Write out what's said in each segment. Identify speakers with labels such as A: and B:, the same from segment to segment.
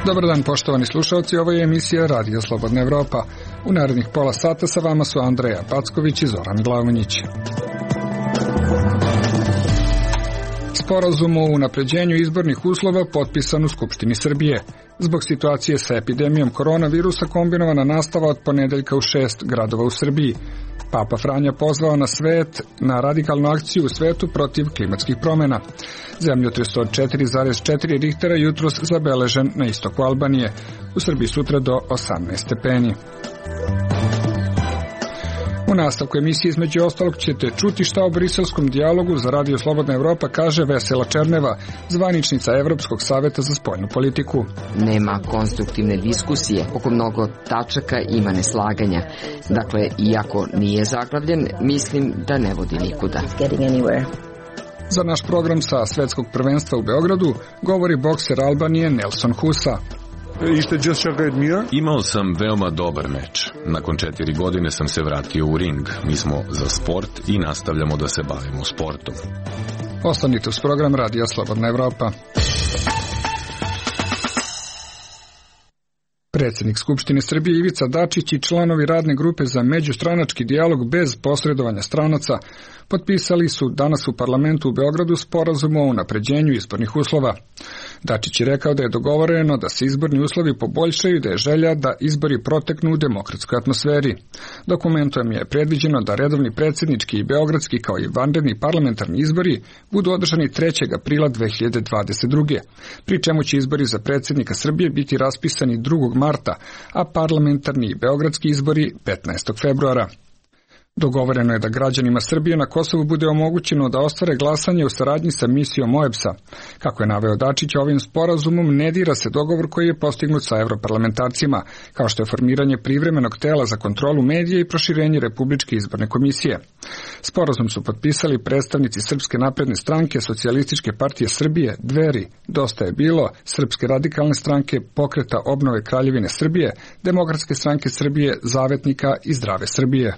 A: Dobar dan, poštovani slušalci, ovo je emisija Radio Slobodna Evropa. U narednih pola sata sa vama su Andreja Packović i Zoran Glavonjić. Sporazum o unapređenju izbornih uslova potpisan u Skupštini Srbije. Zbog situacije sa epidemijom koronavirusa kombinovana nastava od ponedeljka u 6 gradova u Srbiji. Papa Franja pozvao na svet na radikalnu akciju u svetu protiv klimatskih promjena. Zemljotres od 4,4 Richtera jutros zabeležen na istoku Albanije. U Srbiji sutra do 18 stepeni. U nastavku emisije između ostalog ćete čuti šta o briselskom dijalogu za Radio Slobodna Evropa kaže Vesela Černeva, zvaničnica Evropskog saveta za spoljnu politiku.
B: Nema konstruktivne diskusije, oko mnogo tačaka ima neslaganja. Dakle, iako nije zaglavljen, mislim da ne vodi nikuda.
A: Za naš program sa svetskog prvenstva u Beogradu govori bokser Albanije Nelson Husa.
C: Imao sam veoma dobar meč. Nakon 4 godine sam se vratio u ring. Mi smo za sport i nastavljamo da se bavimo sportom.
A: Ostanite uz program Radija Slobodna Evropa. Predsjednik Skupštine Srbije Ivica Dačić i članovi radne grupe za međustranački dijalog bez posredovanja stranaca potpisali su danas u parlamentu u Beogradu sporazum o unapređenju izbornih uslova. Dačić je rekao da je dogovoreno da se izborni uslovi poboljšaju i da je želja da izbori proteknu u demokratskoj atmosferi. Dokumentom je predviđeno da redovni predsjednički i beogradski kao i vanredni parlamentarni izbori budu održani 3. aprila 2022. Pri čemu će izbori za predsjednika Srbije biti raspisani 2. marta, a parlamentarni i beogradski izbori 15. februara. Dogovoreno je da građanima Srbije na Kosovu bude omogućeno da ostvare glasanje u saradnji sa misijom OEBS-a. Kako je naveo Dačić, ovim sporazumom ne dira se dogovor koji je postignut sa europarlamentarcima, kao što je formiranje privremenog tela za kontrolu medija i proširenje Republičke izborne komisije. Sporazum su potpisali predstavnici Srpske napredne stranke, Socijalističke partije Srbije, Dveri, Dosta je bilo, Srpske radikalne stranke, Pokreta obnove Kraljevine Srbije, Demokratske stranke Srbije, Zavetnika i Zdrave Srbije.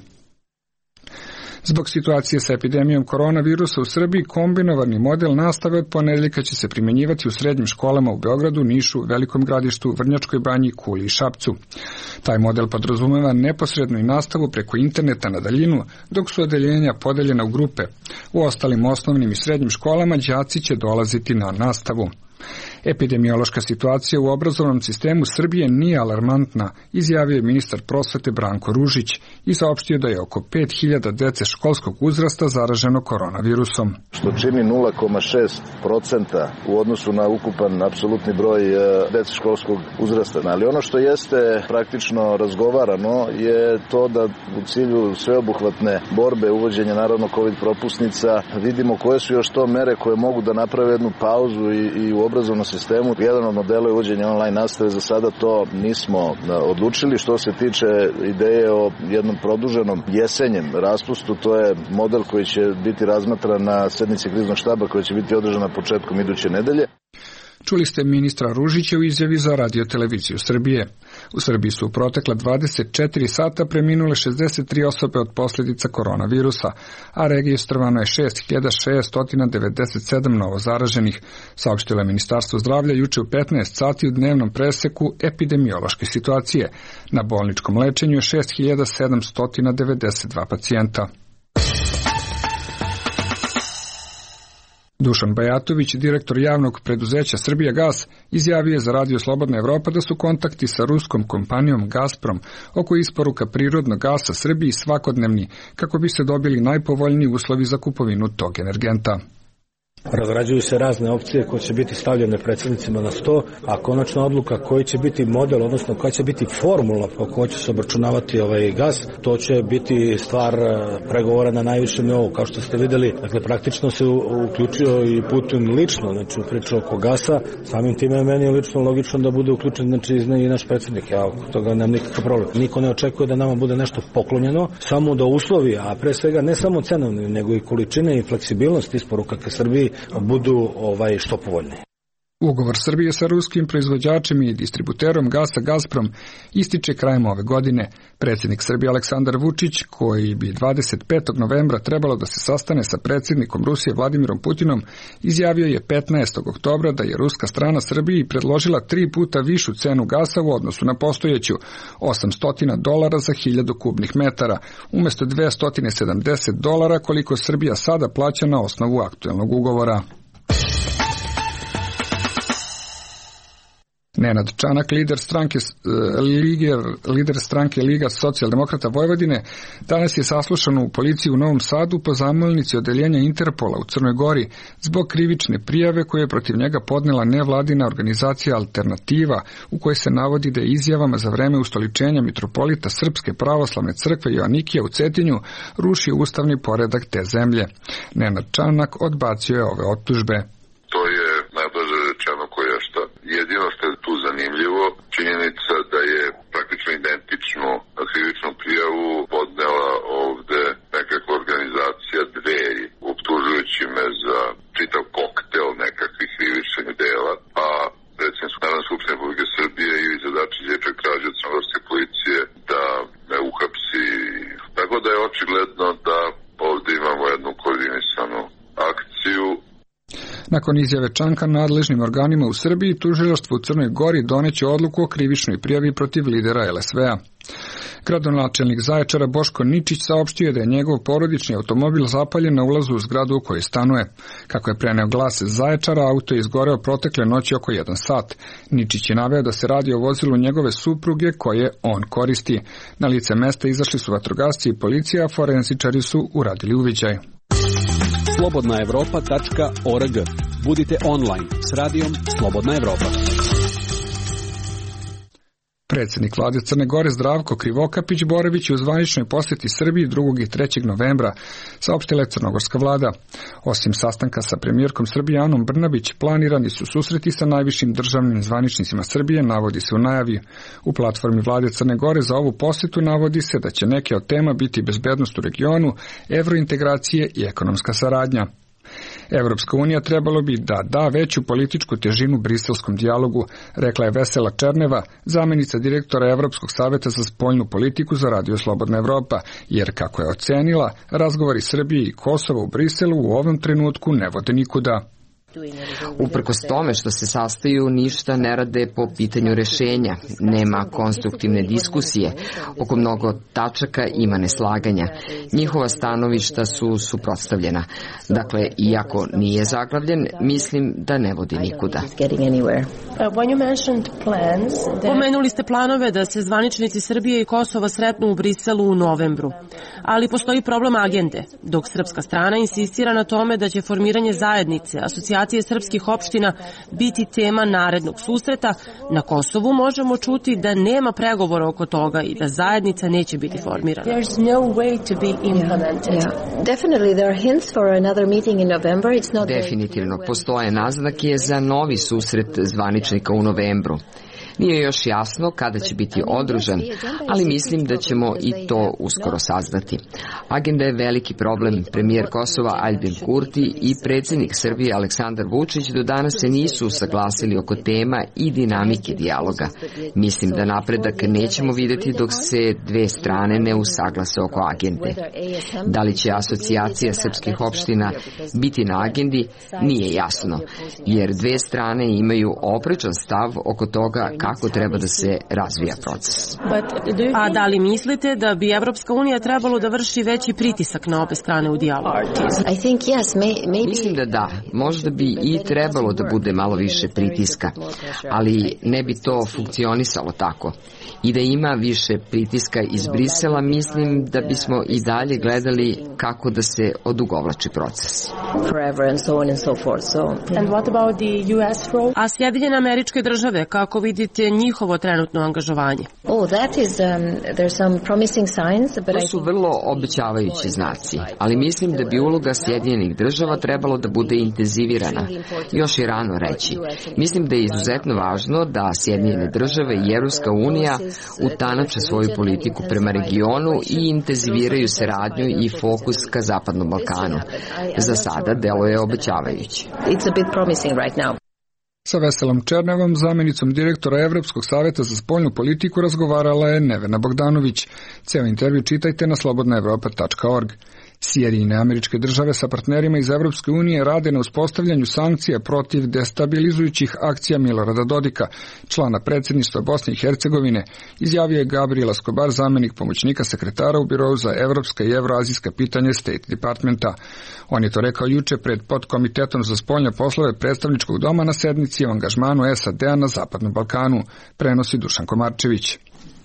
A: Zbog situacije sa epidemijom koronavirusa u Srbiji, kombinovani model nastave od ponedeljka će se primjenjivati u srednjim školama u Beogradu, Nišu, Velikom Gradištu, Vrnjačkoj Banji, Kuli i Šapcu. Taj model podrazumeva neposrednu i nastavu preko interneta na daljinu, dok su odeljenja podeljena u grupe. U ostalim osnovnim i srednjim školama đaci će dolaziti na nastavu. Epidemiološka situacija u obrazovnom sistemu Srbije nije alarmantna, izjavio je ministar prosvete Branko Ružić i saopštio da je oko 5000 dece školskog uzrasta zaraženo koronavirusom.
D: Što čini 0,6% u odnosu na ukupan apsolutni broj dece školskog uzrasta. Ali ono što jeste praktično razgovarano je to da u cilju sveobuhvatne borbe uvođenja naravno COVID propusnica vidimo koje su još to mere koje mogu da naprave jednu pauzu i u obrazovnom sistemu. Jedan od modela je uvođenje online nastave, za sada to nismo odlučili. Što se tiče ideje o jednom produženom jesenjem raspustu, to je model koji će biti razmatran na sednici kriznog štaba koja će biti održana početkom iduće nedelje.
A: Čuli ste ministra Ružića u izjavi za Radio-televiziju Srbije. U Srbiji su u protekla 24 sata preminule 63 osobe od posljedica koronavirusa, a registrovano je 6697 novozaraženih, saopštilo je Ministarstvo zdravlja juče u 15 sati u dnevnom preseku epidemiološke situacije. Na bolničkom lečenju je 6792 pacijenta. Dušan Bajatović, direktor javnog preduzeća Srbijagas, izjavio je za Radio Slobodna Evropa da su kontakti sa ruskom kompanijom Gazprom oko isporuka prirodnog gasa Srbiji svakodnevni, kako bi se dobili najpovoljniji uslovi za kupovinu tog energenta.
E: Razrađuju se razne opcije koje će biti stavljene predsjednicima na sto, a konačna odluka koji će biti model, odnosno koja će biti formula po kojoj će se obračunavati ovaj gas, to će biti stvar pregovora na najvišem nivou. Kao što ste vidjeli, dakle, praktično se uključio i Putin lično, znači u priču oko gasa. Samim time je meni lično logično da bude uključen, znači, i naš predsjednik. Ja oko toga nemam nikakav problem. Niko ne očekuje da nama bude nešto poklonjeno, samo da uslovi, a pre svega ne samo cenovni, nego i količine i fleksibilnost isporuka ka Srbiji budu što povoljnije.
A: Ugovor Srbije sa ruskim proizvođačem i distributerom gasa Gazprom ističe krajem ove godine. Predsjednik Srbije Aleksandar Vučić, koji bi 25. novembra trebalo da se sastane sa predsjednikom Rusije Vladimirom Putinom, izjavio je 15. oktobra da je ruska strana Srbiji predložila 3 puta višu cenu gasa u odnosu na postojeću, $800 za 1000 kubnih metara, umjesto $270 koliko Srbija sada plaća na osnovu aktuelnog ugovora. Nenad Čanak, lider stranke Liga socijaldemokrata Vojvodine, danas je saslušan u policiji u Novom Sadu po zamolnici odeljenja Interpola u Crnoj Gori zbog krivične prijave koje je protiv njega podnela nevladina organizacija Alternativa, u kojoj se navodi da je izjavama za vreme ustoličenja mitropolita Srpske pravoslavne crkve Joanikija u Cetinju rušio ustavni poredak te zemlje. Nenad Čanak odbacio je ove optužbe.
F: To je najblaže rečeno koješta. Jedino što je tu zanimljivo, činjenica da je praktično identičnu krivičnu prijavu podnela ovde nekakva organizacija Dveri, optužujući me za čitav koktel nekakvih krivičnih dela, a predsjednik Narodne skupštine Republike Srbije Ivica Dačić je čak tražio od crnogorske policije da me uhapsi. Tako da je očigledno da ovde imamo jednu koordinisanu akciju.
A: Nakon izjave Čanka nadležnim organima u Srbiji, tužilaštvo u Crnoj Gori doneće odluku o krivičnoj prijavi protiv lidera LSV-a. Gradonačelnik Zaječara Boško Ničić saopštio je da je njegov porodični automobil zapaljen na ulazu u zgradu u kojoj stanuje. Kako je preneo Glas Zaječara, auto je izgoreo protekle noći oko 1 sat. Ničić je naveo da se radi o vozilu njegove supruge koje on koristi. Na lice mesta izašli su vatrogasci i policija, a forenzičari su uradili uviđaj.
G: slobodnaevropa.org. Budite online s radijom Slobodna Evropa.
A: Predsjednik vlade Crne Gore Zdravko Krivokapić boravić je u zvaničnoj posjeti Srbiji 2. i 3. novembra, saopštila je crnogorska vlada. Osim sastanka sa premijerkom Srbije Anom Brnabić, planirani su susreti sa najvišim državnim zvaničnicima Srbije, navodi se u najavi. U platformi vlade Crne Gore za ovu posjetu navodi se da će neke od tema biti bezbednost u regionu, evrointegracije i ekonomska saradnja. Evropska unija trebalo bi da da veću političku težinu briselskom dijalogu, rekla je Vesela Černeva, zamjenica direktora Evropskog saveta za spoljnu politiku za Radio Slobodna Evropa, jer, kako je ocenila, razgovori Srbije i Kosova u Briselu u ovom trenutku ne vode nikuda.
B: Uprkos tome što se sastaju, ništa ne rade po pitanju rešenja. Nema konstruktivne diskusije. Oko mnogo tačaka ima neslaganja. Njihova stanovišta su suprotstavljena. Dakle, iako nije zaglavljen, mislim da ne vodi nikuda.
H: Pomenuli ste planove da se zvaničnici Srbije i Kosova sretnu u Briselu u novembru. Ali postoji problem agende, dok srpska strana insistira na tome da će formiranje zajednice, asocijacije srpskih opština biti tema narednog susreta. Na Kosovu možemo čuti da nema pregovora oko toga i da zajednica neće biti formirana.
B: Definitivno postoje naznake za novi susret zvaničnika u novembru. Nije još jasno kada će biti održan, ali mislim da ćemo i to uskoro saznati. Agenda je veliki problem. Premijer Kosova Aljbin Kurti i predsjednik Srbije Aleksandar Vučić do danas se nisu usaglasili oko tema i dinamike dijaloga. Mislim da napredak nećemo vidjeti dok se dve strane ne usaglase oko agende. Da li će asocijacija srpskih opština biti na agendi, nije jasno, jer dve strane imaju oprečan stav oko toga kako treba da se razvija proces.
H: A da li mislite da bi Evropska unija trebalo da vrši veći pritisak na obe strane u dijalogu?
B: Mislim da da. Možda bi i trebalo da bude malo više pritiska, ali ne bi to funkcionisalo tako. I da ima više pritiska iz Brisela, mislim da bismo i dalje gledali kako da se odugovlači proces.
H: A Sjedinjene Američke Države, kako vidite njihovo trenutno angažovanje?
B: To su vrlo obećavajući znaci, ali mislim da bi uloga Sjedinjenih Država trebalo da bude intenzivirana. Još je rano reći. Mislim da je izuzetno važno da Sjedinjene Države i Evropska unija utanače svoju politiku prema regionu i intenziviraju saradnju i fokus ka Zapadnom Balkanu. Za sada deluje obećavajuće.
A: Sa Veselom Černevom, zamjenicom direktora Evropskog savjeta za spoljnu politiku, razgovarala je Nevena Bogdanović. Ceo intervju čitajte na slobodnaevropa.org. Sjedinjene Američke Države sa partnerima iz Evropske unije rade na uspostavljanju sankcija protiv destabilizujućih akcija Milorada Dodika, člana predsjedništva Bosne i Hercegovine, izjavio je Gabriel Escobar, zamjenik pomoćnika sekretara u Birou za evropska i evroazijska pitanja State Departmenta. On je to rekao juče pred podkomitetom za spoljne poslove predstavničkog doma na sednici o angažmanu SAD-a na Zapadnom Balkanu, prenosi Dušan Komarčević.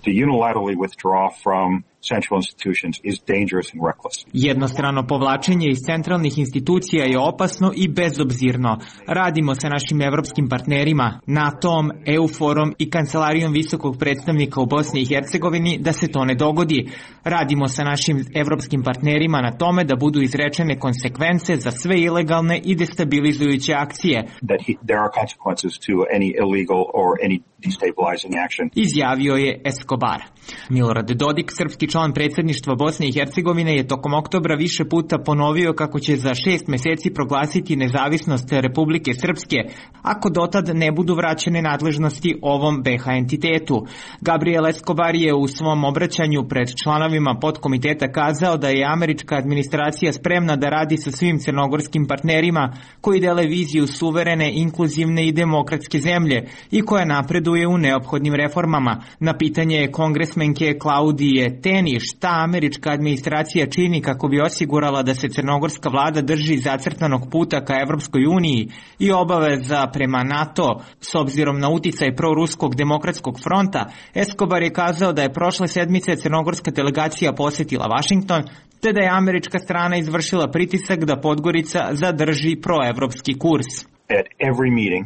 I: To unilaterally withdraw from central institutions is dangerous and reckless.
J: Jednostrano povlačenje iz centralnih institucija je opasno i bezobzirno. Radimo sa našim evropskim partnerima, NATO-om, EU-forom i Kancelarijom visokog predstavnika u Bosni i Hercegovini da se to ne dogodi. Radimo sa našim evropskim partnerima na tome da budu izrečene konsekvence za sve ilegalne i destabilizujuće akcije.
I: There are consequences to any illegal or any destabilizing action.
J: Izjavio je Escobar. Milorad Dodik, srpski član predsjedništva Bosne i Hercegovine, je tokom oktobra više puta ponovio kako će za 6 meseci proglasiti nezavisnost Republike Srpske, ako dotad ne budu vraćene nadležnosti ovom BiH entitetu. Gabriel Escobar je u svom obraćanju pred članovima podkomiteta kazao da je američka administracija spremna da radi sa svim crnogorskim partnerima koji dele viziju suverene, inkluzivne i demokratske zemlje i koja napreduje u neophodnim reformama. Na pitanje kongresmenke Klaudije Teni šta američka administracija čini kako bi osigurala da se crnogorska vlada drži zacrtanog puta ka Evropskoj uniji i obaveza prema NATO s obzirom na uticaj proruskog demokratskog fronta, Escobar je kazao da je prošle sedmice crnogorska delegacija posjetila Vašington, te da je američka strana izvršila pritisak da Podgorica zadrži proevropski kurs.
I: At every meeting,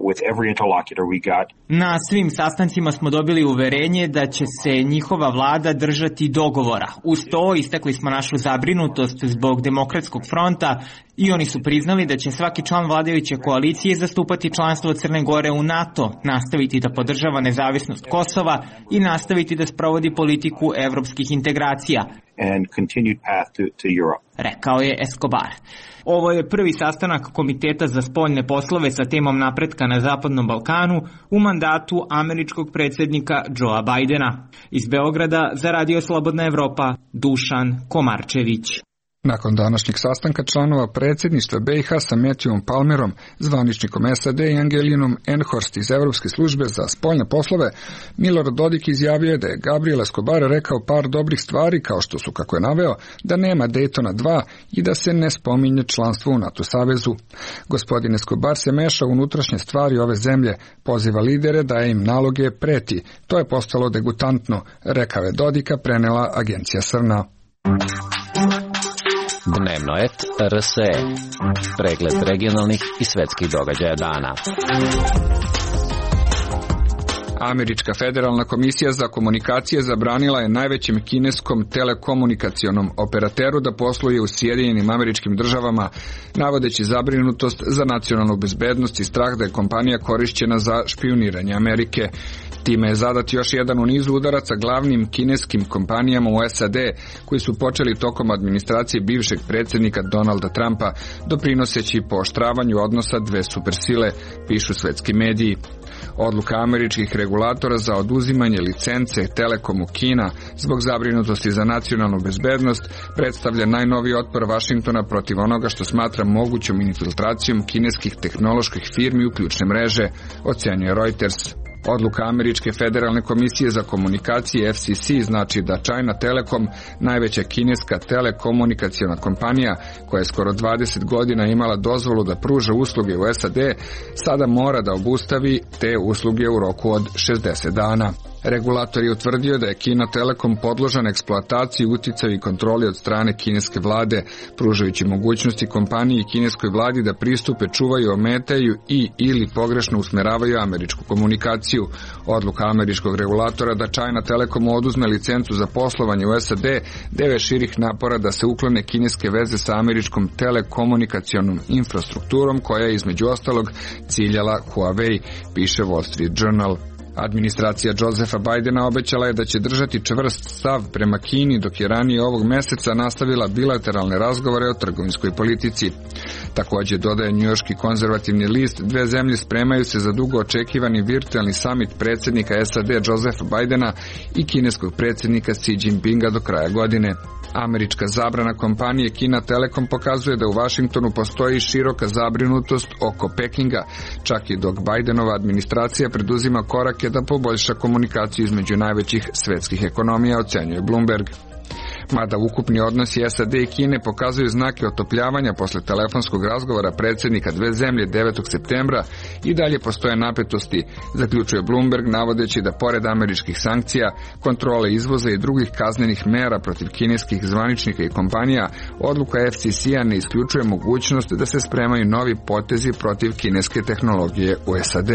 I: with every interlocutor we got.
J: Na svim sastancima smo dobili uverenje da će se njihova vlada držati dogovora. Uz to istakli smo našu zabrinutost zbog demokratskog fronta i oni su priznali da će svaki član vladajuće koalicije zastupati članstvo Crne Gore u NATO, nastaviti da podržava nezavisnost Kosova i nastaviti da sprovodi politiku evropskih integracija.
I: And continued path to Europe.
J: Rekao je Escobar. Ovo je prvi sastanak Komiteta za spoljne poslove sa temom napretka na Zapadnom Balkanu u mandatu američkog predsjednika Joea Bidena. Iz Beograda za Radio Slobodna Evropa, Dušan Komarčević.
A: Nakon današnjeg sastanka članova predsjedništva BiH sa Matthewom Palmerom, zvaničnikom SAD i Angelinom Enhorst iz Evropske službe za spoljne poslove, Milorad Dodik izjavio je da je Gabriel Escobar rekao par dobrih stvari, kao što su, kako je naveo, da nema Daytona 2 i da se ne spominje članstvo u NATO savezu. Gospodin Escobar se meša u unutrašnje stvari ove zemlje, poziva lidere, daje im naloge, preti. To je postalo degutantno, rekao je Dodika, prenela agencija SRNA.
K: Dnevno et RSE. Pregled regionalnih i svetskih događaja dana.
A: Američka federalna komisija za komunikacije zabranila je najvećem kineskom telekomunikacionom operateru da posluje u Sjedinjenim Američkim Državama, navodeći zabrinutost za nacionalnu bezbednost i strah da je kompanija korišćena za špijuniranje Amerike. Time je zadat još jedan u nizu udaraca glavnim kineskim kompanijama u SAD, koji su počeli tokom administracije bivšeg predsjednika Donalda Trumpa, doprinoseći pooštravanju odnosa dve supersile, pišu svetski mediji. Odluka američkih regulatora za oduzimanje licence Telekomu Kina zbog zabrinutosti za nacionalnu bezbednost predstavlja najnoviji otpor Vašingtona protiv onoga što smatra mogućom infiltracijom kineskih tehnoloških firmi u ključne mreže, ocenjuje Reuters. Odluka Američke federalne komisije za komunikacije FCC znači da China Telecom, najveća kineska telekomunikaciona kompanija koja je skoro 20 godina imala dozvolu da pruža usluge u SAD, sada mora da obustavi te usluge u roku od 60 dana. Regulator je utvrdio da je Kina Telekom podložan eksploataciji, uticaju i kontroli od strane kineske vlade, pružajući mogućnosti kompaniji i kineskoj vladi da pristupe, čuvaju, ometaju i ili pogrešno usmeravaju američku komunikaciju. Odluka američkog regulatora da China Telekomu oduzme licencu za poslovanje u SAD deve širih napora da se uklone kineske veze sa američkom telekomunikacionom infrastrukturom koja je između ostalog ciljala Huawei, piše Wall Street Journal. Administracija Josepha Bidena obećala je da će držati čvrst stav prema Kini, dok je ranije ovog meseca nastavila bilateralne razgovore o trgovinskoj politici. Također, dodaje njujorški konzervativni list, dve zemlje spremaju se za dugo očekivani virtualni samit predsjednika SAD Josepha Bidena i kineskog predsjednika Xi Jinpinga do kraja godine. Američka zabrana kompanije Kina Telekom pokazuje da u Vašingtonu postoji široka zabrinutost oko Pekinga, čak i dok Bidenova administracija preduzima korake da poboljša komunikaciju između najvećih svetskih ekonomija, ocenjuje Bloomberg. Mada ukupni odnosi SAD i Kine pokazuju znake otopljavanja posle telefonskog razgovora predsjednika dve zemlje 9. septembra, i dalje postoje napetosti, zaključuje Bloomberg, navodeći da pored američkih sankcija, kontrole izvoza i drugih kaznenih mera protiv kineskih zvaničnika i kompanija, odluka FCC-a ne isključuje mogućnost da se spremaju novi potezi protiv kineske tehnologije u SAD.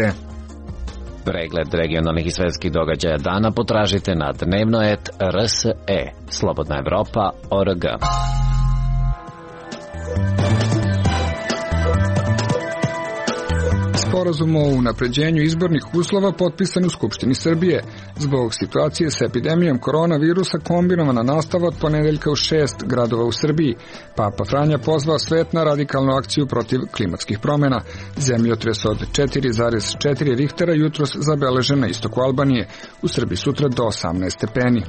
K: Pregled regionalnih i svetskih događaja dana potražite na dnevno.rse, Slobodna Evropa.org.
A: Sporazum o unapređenju izbornih uslova potpisan u Skupštini Srbije. Zbog situacije sa epidemijom koronavirusa kombinovana nastava od ponedeljka u 6 gradova u Srbiji. Papa Franja pozvao svet na radikalnu akciju protiv klimatskih promjena. Zemljotres od 4,4 Richtera jutros zabeležen na istoku Albanije. U Srbiji sutra do 18 stepeni.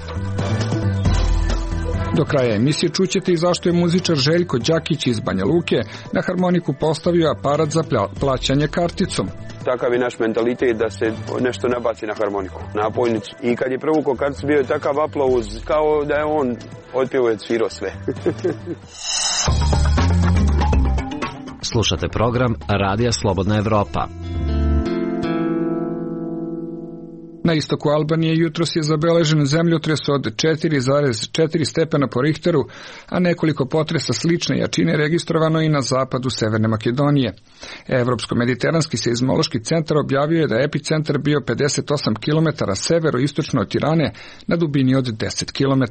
A: Do kraja emisije čućete i zašto je muzičar Željko Đakić iz Banja Luke na harmoniku postavio aparat za plaćanje karticom.
L: Takav je naš mentalitet da se nešto nabaci na harmoniku, na pojnicu. I kad je prevukao karticu, bio je takav aplauz kao da je on otpjevao i svirao sve.
K: Slušate program Radija Slobodna Evropa.
A: Na istoku Albanije jutros je zabeležen zemljotres od 4,4 stepena po Richteru, a nekoliko potresa slične jačine registrovano i na zapadu Severne Makedonije. Evropsko-mediteranski seizmološki centar objavio je da je epicentar bio 58 km severo-istočno od Tirane na dubini od 10 km.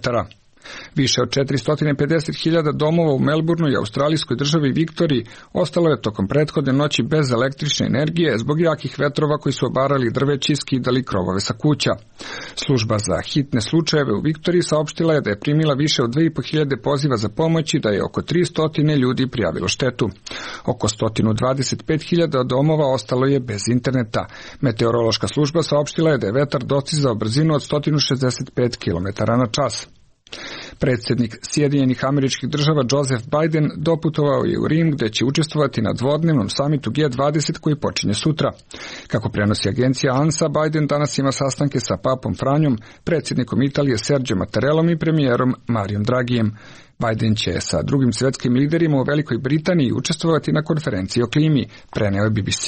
A: Više od 450.000 domova u Melbourneu i australijskoj državi Viktoriji ostalo je tokom prethodne noći bez električne energije zbog jakih vetrova koji su obarali drveće i skidali krovove sa kuća. Služba za hitne slučajeve u Viktoriji saopštila je da je primila više od 2.500 poziva za pomoć i da je oko 300 ljudi prijavilo štetu. Oko 125.000 domova ostalo je bez interneta. Meteorološka služba saopštila je da je vetar dostizao brzinu od 165 km na čas. Predsjednik Sjedinjenih Američkih Država Joseph Biden doputovao je u Rim gdje će učestvovati na dvodnevnom samitu G20 koji počinje sutra. Kako prenosi agencija ANSA, Biden danas ima sastanke sa papom Franjom, predsjednikom Italije Sergio Mattarellom i premijerom Mariom Dragijem. Biden će sa drugim svjetskim liderima u Velikoj Britaniji učestvovati na konferenciji o klimi, preneo je BBC.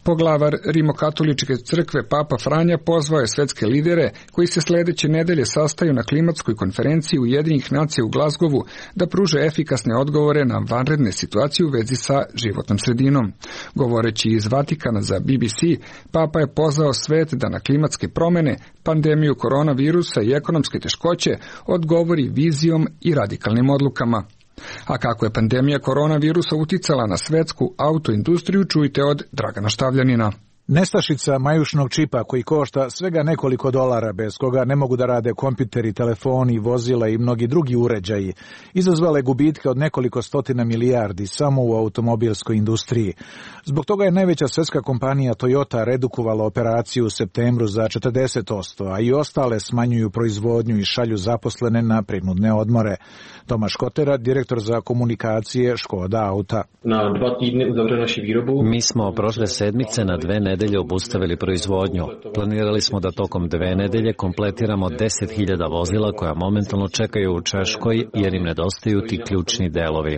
A: Poglavar Rimokatoličke crkve Papa Franja pozvao je svetske lidere koji se sljedeće nedelje sastaju na klimatskoj konferenciji Ujedinjenih nacija u Glasgowu da pruže efikasne odgovore na vanredne situacije u vezi sa životnom sredinom. Govoreći iz Vatikana za BBC, Papa je pozvao svet da na klimatske promjene, pandemiju koronavirusa i ekonomske teškoće odgovori vizijom i radikalnim odlukama. A kako je pandemija koronavirusa uticala na svetsku autoindustriju, čujte od Dragana Štavljanina.
M: Nestašica majušnog čipa koji košta svega nekoliko dolara, bez koga ne mogu da rade kompjuteri, telefoni, vozila i mnogi drugi uređaji, izazvale gubitke od nekoliko stotina milijardi samo u automobilskoj industriji. Zbog toga je najveća svjetska kompanija Toyota redukovala operaciju u septembru za 40%, a i ostale smanjuju proizvodnju i šalju zaposlene na prinudne odmore. Tomaš Kotera, direktor za komunikacije Škoda Auta.
K: Mi smo prošle sedmice na 2 nedelje obustavili proizvodnju. Planirali smo da tokom 2 nedelje kompletiramo 10.000 vozila koja momentalno čekaju u Češkoj jer im nedostaju ti ključni delovi.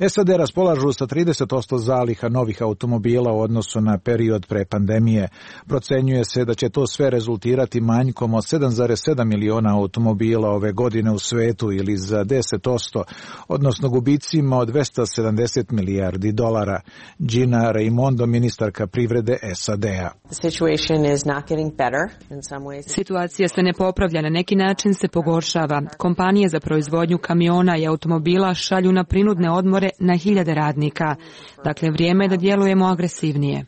M: SAD raspolažu sa 30% zaliha novih automobila u odnosu na period pre pandemije. Procenjuje se da će to sve rezultirati manjkom od 7,7 miliona automobila ove godine u svetu ili za 10%, odnosno gubicima od 270 milijardi dolara. Gina Raimondo, ministarka privrede SAD-a.
N: Situacija se ne popravlja, na neki način se pogoršava. Kompanije za proizvodnju kamiona i automobila šalju na prinudne odmore na hiljade radnika. Dakle, vrijeme je da djelujemo agresivnije.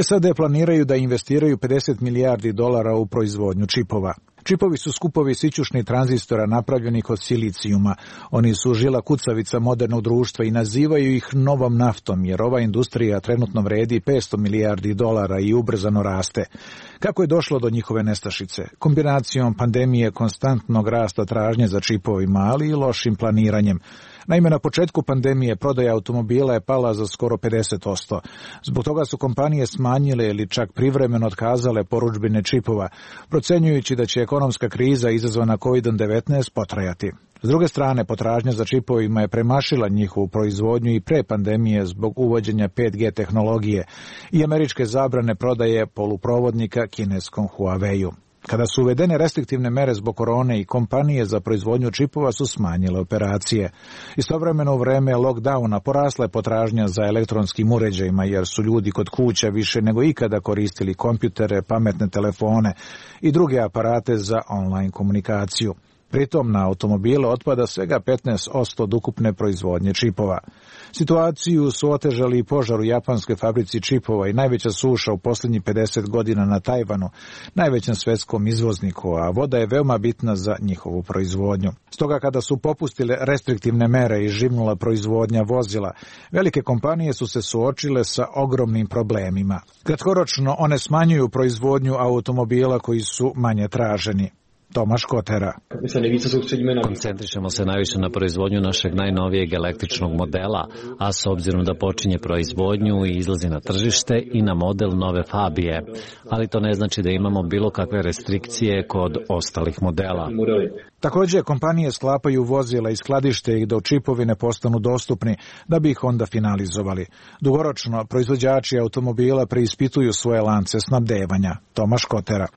M: SAD planiraju da investiraju $50 milijardi u proizvodnju čipova. Čipovi su skupovi sićušnih tranzistora napravljenih od silicijuma. Oni su žila kucavica modernog društva i nazivaju ih novom naftom, jer ova industrija trenutno vredi $500 milijardi i ubrzano raste. Kako je došlo do njihove nestašice? Kombinacijom pandemije, konstantnog rasta tražnje za čipovima, ali i lošim planiranjem. Naime, na početku pandemije prodaja automobila je pala za skoro 50%. Zbog toga su kompanije smanjile ili čak privremeno otkazale porudžbine čipova, procenjujući da će ekonomska kriza izazvana COVID-19 potrajati. S druge strane, potražnja za čipovima je premašila njihovu proizvodnju i pre pandemije zbog uvođenja 5G tehnologije i američke zabrane prodaje poluprovodnika kineskom Huawei-u. Kada su uvedene restriktivne mere zbog korone i kompanije za proizvodnju čipova su smanjile operacije. Istovremeno u vreme lockdowna porasla je potražnja za elektronskim uređajima jer su ljudi kod kuća više nego ikada koristili kompjutere, pametne telefone i druge aparate za online komunikaciju. Pritom na automobile otpada svega 15% od ukupne proizvodnje čipova. Situaciju su otežali i požar u japanskoj fabrici čipova i najveća suša u posljednjih 50 godina na Tajvanu, najvećem svetskom izvozniku, a voda je veoma bitna za njihovu proizvodnju. Stoga kada su popustile restriktivne mere i živnula proizvodnja vozila, velike kompanije su se suočile sa ogromnim problemima. Kratkoročno one smanjuju proizvodnju automobila koji su manje traženi. Tomaš Kotera.
K: Koncentrišemo se najviše na proizvodnju našeg najnovijeg električnog modela, a s obzirom da počinje proizvodnju i izlazi na tržište i na model nove Fabije. Ali to ne znači da imamo bilo kakve restrikcije kod ostalih modela.
M: Također, kompanije sklapaju vozila i skladište ih dok čipovi ne postanu dostupni, da bi ih onda finalizovali. Dugoročno, proizvođači automobila preispituju svoje lance snabdevanja. Tomaš Kotera.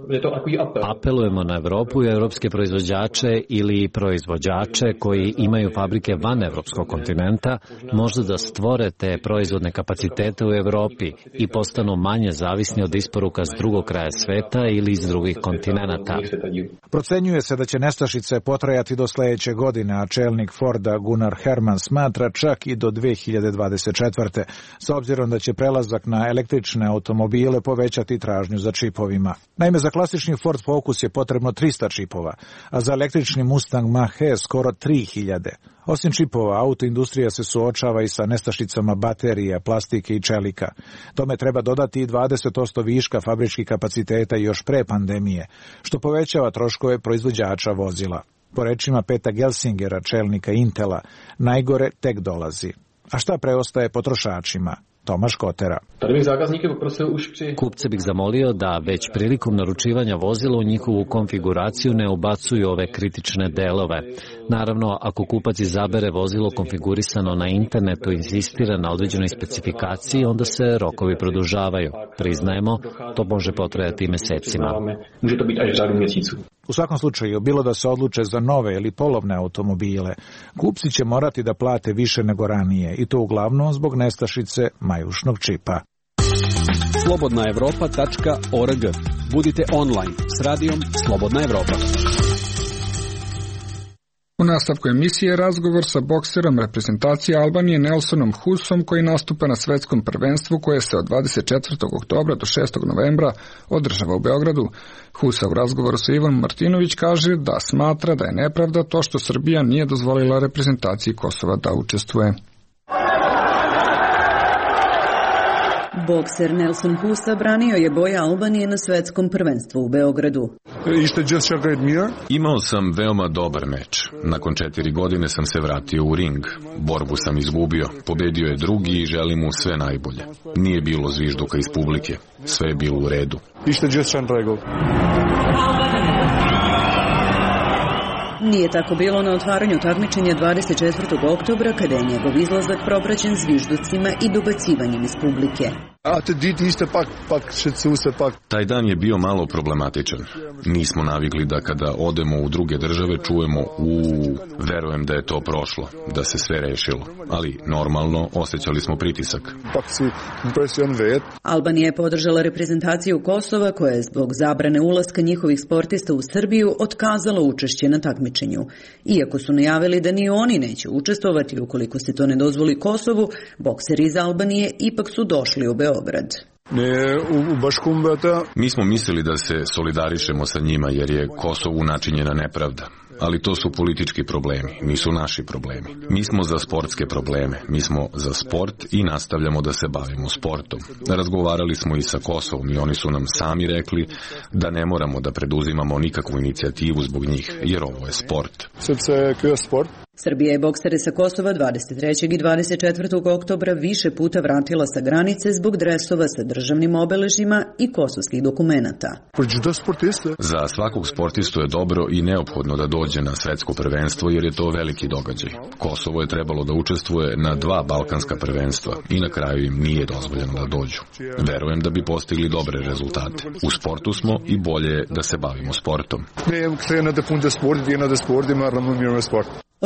K: Apelujemo na Evropu i evropske proizvođače ili proizvođače koji imaju fabrike van evropskog kontinenta, možda da stvore te proizvodne kapacitete u Evropi i postanu manje zavisni od isporuka s drugog kraja sveta ili iz drugih kontinenata.
M: Procenjuje se da će nestašice potrajati do sljedeće godine, a čelnik Forda Gunnar Herman smatra čak i do 2024. s obzirom da će prelazak na električne automobile povećati tražnju za čipovima. Naime, za klasični Ford Focus je potrebno 300 čipova, a za električni Mustang Mach-E skoro 3000. Osim čipova, autoindustrija se suočava i sa nestašicama baterija, plastike i čelika. Tome treba dodati i 20% viška fabričkih kapaciteta još pre pandemije, što povećava troškove proizvođača vozila. Po rečima Peta Gelsingera, čelnika Intela, najgore tek dolazi. A šta preostaje potrošačima? Tomaš Kotera.
K: Kupce bih zamolio da već prilikom naručivanja vozila u njihovu konfiguraciju ne ubacuju ove kritične delove. Naravno, ako kupac izabere vozilo konfigurisano na internetu i insistira na određenoj specifikaciji, onda se rokovi produžavaju. Priznajemo, to može potrajati mesecima.
M: U svakom slučaju, bilo da se odluče za nove ili polovne automobile, kupci će morati da plate više nego ranije i to uglavnom zbog nestašice majušnog čipa.
G: slobodnaevropa.org. Budite online s radijom Slobodna Evropa.
A: U nastavku emisije razgovor sa bokserom reprezentacije Albanije Nelsonom Husom koji nastupa na svetskom prvenstvu koje se od 24. oktobra do 6. novembra održava u Beogradu. Husa u razgovoru sa Ivanom Martinović kaže da smatra da je nepravda to što Srbija nije dozvolila reprezentaciji Kosova da učestvuje.
O: Bokser Nelson Husa branio je boje Albanije na svetskom prvenstvu u Beogradu.
C: Imao sam veoma dobar meč. Nakon 4 godine sam se vratio u ring. Borbu sam izgubio. Pobedio je drugi i želim mu sve najbolje. Nije bilo zvižduka iz publike. Sve je bilo u redu.
O: Nije tako bilo na otvaranju takmičenja 24. oktobra, kada je njegov izlazak propraćen zvižducima i dobacivanjem iz publike.
C: Taj dan je bio malo problematičan. Nismo navikli da kada odemo u druge države čujemo verujem da je to prošlo, da se sve rešilo. Ali normalno osjećali smo pritisak.
O: Albanija je podržala reprezentaciju Kosova koja je zbog zabrane ulaska njihovih sportista u Srbiju otkazala učešće na takmičenju. takmičenju. Iako su najavili da ni oni neće učestvovati ukoliko se to ne dozvoli Kosovu, bokseri iz Albanije ipak su došli u Beograd.
C: Mi smo mislili da se solidarišemo sa njima jer je Kosovu načinjena nepravda. Ali to su politički problemi, nisu naši problemi. Mi smo za sportske probleme, mi smo za sport i nastavljamo da se bavimo sportom. Razgovarali smo i sa Kosovom i oni su nam sami rekli da ne moramo da preduzimamo nikakvu inicijativu zbog njih, jer ovo je sport.
O: Srbija je boksere sa Kosova 23. i 24. oktobra više puta vratila sa granice zbog dresova sa državnim obeležjima i kosovskih dokumenata.
C: Za svakog sportistu je dobro i neophodno da dođe na svetsko prvenstvo jer je to veliki događaj. Kosovo je trebalo da učestvuje na 2 balkanska prvenstva i na kraju im nije dozvoljeno da dođu. Verujem da bi postigli dobre rezultate. U sportu smo i bolje da se bavimo sportom.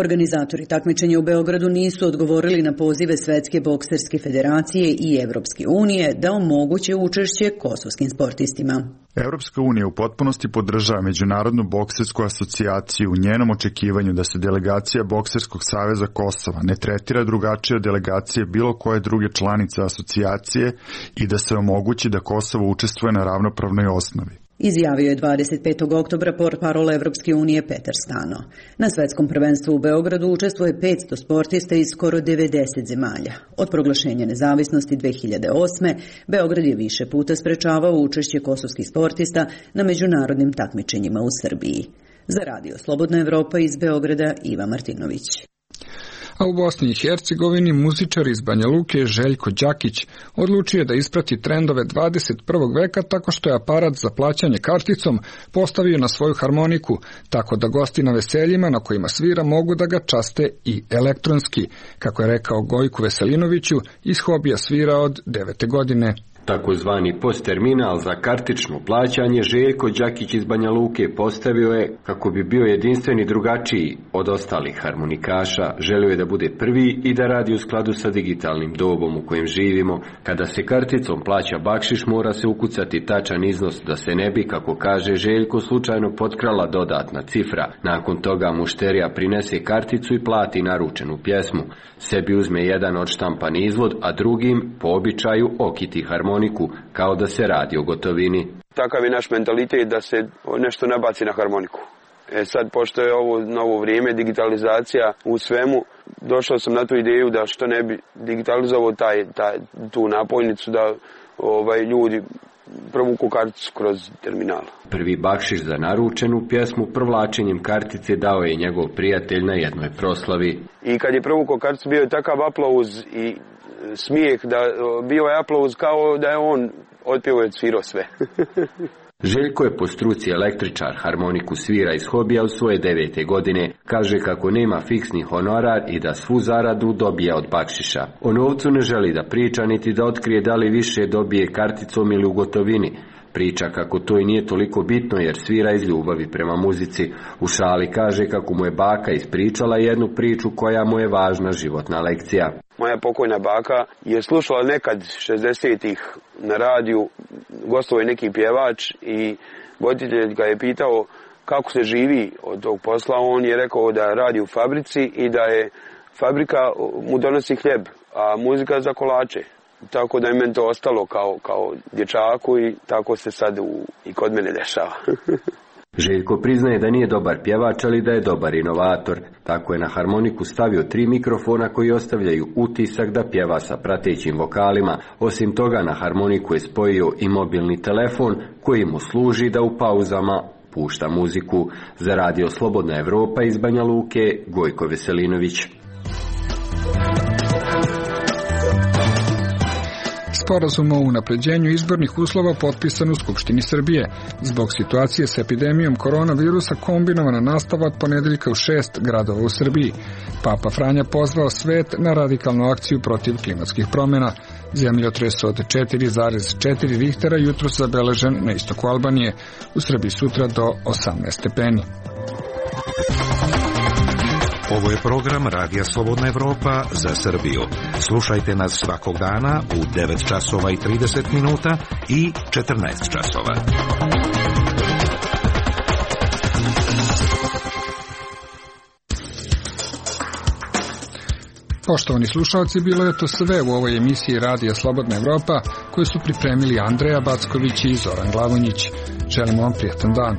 O: Organizatori takmičenja u Beogradu nisu odgovorili na pozive Svetske bokserske federacije i Evropske unije da omoguće učešće kosovskim sportistima.
P: Evropska unija u potpunosti podržava Međunarodnu boksersku asocijaciju u njenom očekivanju da se delegacija Bokserskog saveza Kosova ne tretira drugačije od delegacije bilo koje druge članice asocijacije i da se omogući da Kosovo učestvuje na ravnopravnoj osnovi.
O: Izjavio je 25. oktobra portparol Evropske unije Petar Stano. Na svetskom prvenstvu u Beogradu učestvuje 500 sportista iz skoro 90 zemalja. Od proglašenja nezavisnosti 2008. Beograd je više puta sprečavao učešće kosovskih sportista na međunarodnim takmičenjima u Srbiji. Za Radio Slobodna Evropa iz Beograda Iva Martinović.
A: A u Bosni i Hercegovini muzičar iz Banja Luke Željko Đakić odlučio da isprati trendove 21. veka tako što je aparat za plaćanje karticom postavio na svoju harmoniku, tako da gosti na veseljima na kojima svira mogu da ga časte i elektronski, kako je rekao Gojku Veselinoviću, iz hobija svira od 9. godine.
Q: Takozvani postterminal za kartično plaćanje Željko Đakić iz Banja Luke postavio je kako bi bio jedinstven i drugačiji od ostalih harmonikaša. Želio je da bude prvi i da radi u skladu sa digitalnim dobom u kojem živimo. Kada se karticom plaća bakšiš, mora se ukucati tačan iznos da se ne bi, kako kaže Željko, slučajno potkrala dodatna cifra. Nakon toga mušterija prinese karticu i plati naručenu pjesmu. Sebi uzme jedan odštampan izvod, a drugim, po običaju, okiti harmoniku, kao da se radi o gotovini.
L: Takav je naš mentalitet da se nešto nabaci na harmoniku. Sad, pošto je ovo novo vrijeme, digitalizacija u svemu, došao sam na tu ideju da što ne bi digitalizovao tu napojnicu, da ljudi provuku karticu kroz terminal.
Q: Prvi bakšiš za naručenu pjesmu provlačenjem kartice dao je njegov prijatelj na jednoj proslavi.
L: I kad je provukao karticu, bio je takav aplauz i smijeh, da bio je aplauz kao da je on otpjevao i odsvirao sve.
Q: Željko je po struci električar, harmoniku svira iz hobija u svoje 9. godine. Kaže kako nema fiksni honorar i da svu zaradu dobije od bakšiša. O novcu ne želi da priča niti da otkrije da li više dobije karticom ili u gotovini. Priča kako to i nije toliko bitno jer svira iz ljubavi prema muzici. U šali kaže kako mu je baka ispričala jednu priču koja mu je važna životna lekcija.
L: Moja pokojna baka je slušala nekad 60-ih na radiju, gostovao je neki pjevač i voditelj ga je pitao kako se živi od tog posla. On je rekao da radi u fabrici i da je fabrika mu donosi hljeb, a muzika za kolače. Tako da je meni to ostalo kao dječaku i tako se sad i kod mene dešava.
Q: Željko priznaje da nije dobar pjevač, ali da je dobar inovator. Tako je na harmoniku stavio 3 mikrofona koji ostavljaju utisak da pjeva sa pratećim vokalima. Osim toga, na harmoniku je spojio i mobilni telefon koji mu služi da u pauzama pušta muziku. Za Radio Slobodna Evropa iz Banja Luke, Gojko Veselinović.
A: Sporazum o unapređenju izbornih uslova potpisan u Skupštini Srbije. Zbog situacije sa epidemijom koronavirusa kombinovana nastava od ponedeljka u 6 gradova u Srbiji. Papa Franja pozvao svet na radikalnu akciju protiv klimatskih promjena. Zemljotres od 4,4 Richtera jutros zabeležen na istoku Albanije. U Srbiji sutra do 18 stepeni.
R: Ovo je program Radija Slobodna Evropa za Srbiju. Slušajte nas svakog dana u 9 časova i 30 minuta i 14 časova.
A: Poštovani slušalci, bilo je to sve u ovoj emisiji Radija Slobodna Evropa koju su pripremili Andreja Backović i Zoran Glavonjić. Želimo vam prijatan dan.